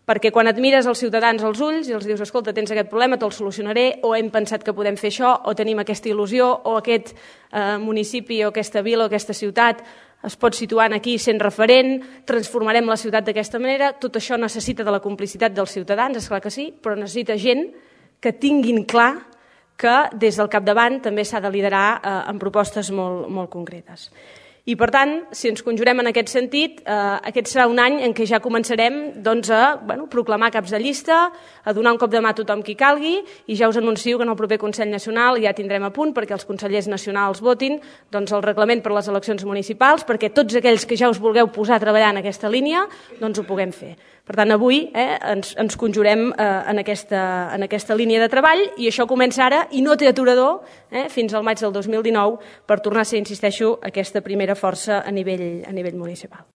perquè quan et mires els ciutadans als ulls i els dius, escolta, tens aquest problema, te'l solucionaré, o hem pensat que podem fer això, o tenim aquesta il·lusió, o aquest municipi o aquesta vila o aquesta ciutat es pot situar aquí sent referent, transformarem la ciutat d'aquesta manera, tot això necessita de la complicitat dels ciutadans, és clar que sí, però necessita gent que tinguin clar que des del capdavant també s'ha de liderar en propostes molt concretes. I, per tant, si ens conjurem en aquest sentit, aquest serà un any en què ja començarem a proclamar caps de llista, a donar un cop de mà a tothom qui calgui, i ja us anuncio que en el proper Consell Nacional ja tindrem a punt perquè els consellers nacionals votin el reglament per a les eleccions municipals, perquè tots aquells que ja us vulgueu posar a treballar en aquesta línia ho puguem fer. Per tant, avui ens conjurem en aquesta línia de treball i això comença ara i no té aturador fins al maig del 2019 per tornar a ser, insisteixo, aquesta primera força a nivell municipal.